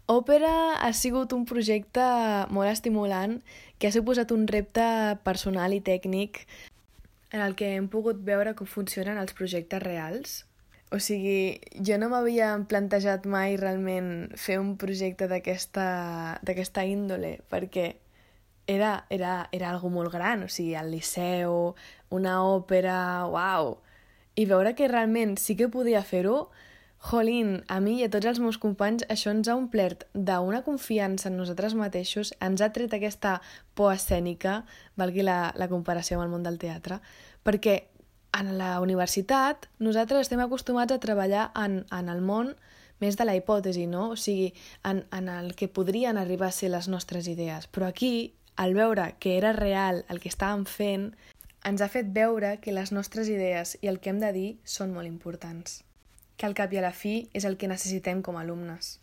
Òpera ha sigut un projecte molt estimulant que ha suposat un repte personal i tècnic en el que hem pogut veure com funcionen els projectes reals. O sigui, jo no m'havia plantejat mai realment fer un projecte d'aquesta índole, perquè era algo molt gran, o sigui, al Liceu, una òpera, uau! I veure que realment sí que podia fer-ho, jolín, a mi i a tots els meus companys això ens ha omplert d'una confiança en nosaltres mateixos, ens ha tret aquesta por escènica, valgui la comparació amb el món del teatre, perquè en la universitat nosaltres estem acostumats a treballar en el món més de la hipòtesi, no? O sigui, en el que podrien arribar a ser les nostres idees. Però aquí, al veure que era real el que estàvem fent, ens ha fet veure que les nostres idees i el que hem de dir són molt importants, que al cap i a la fi és el que necessitem com a alumnes.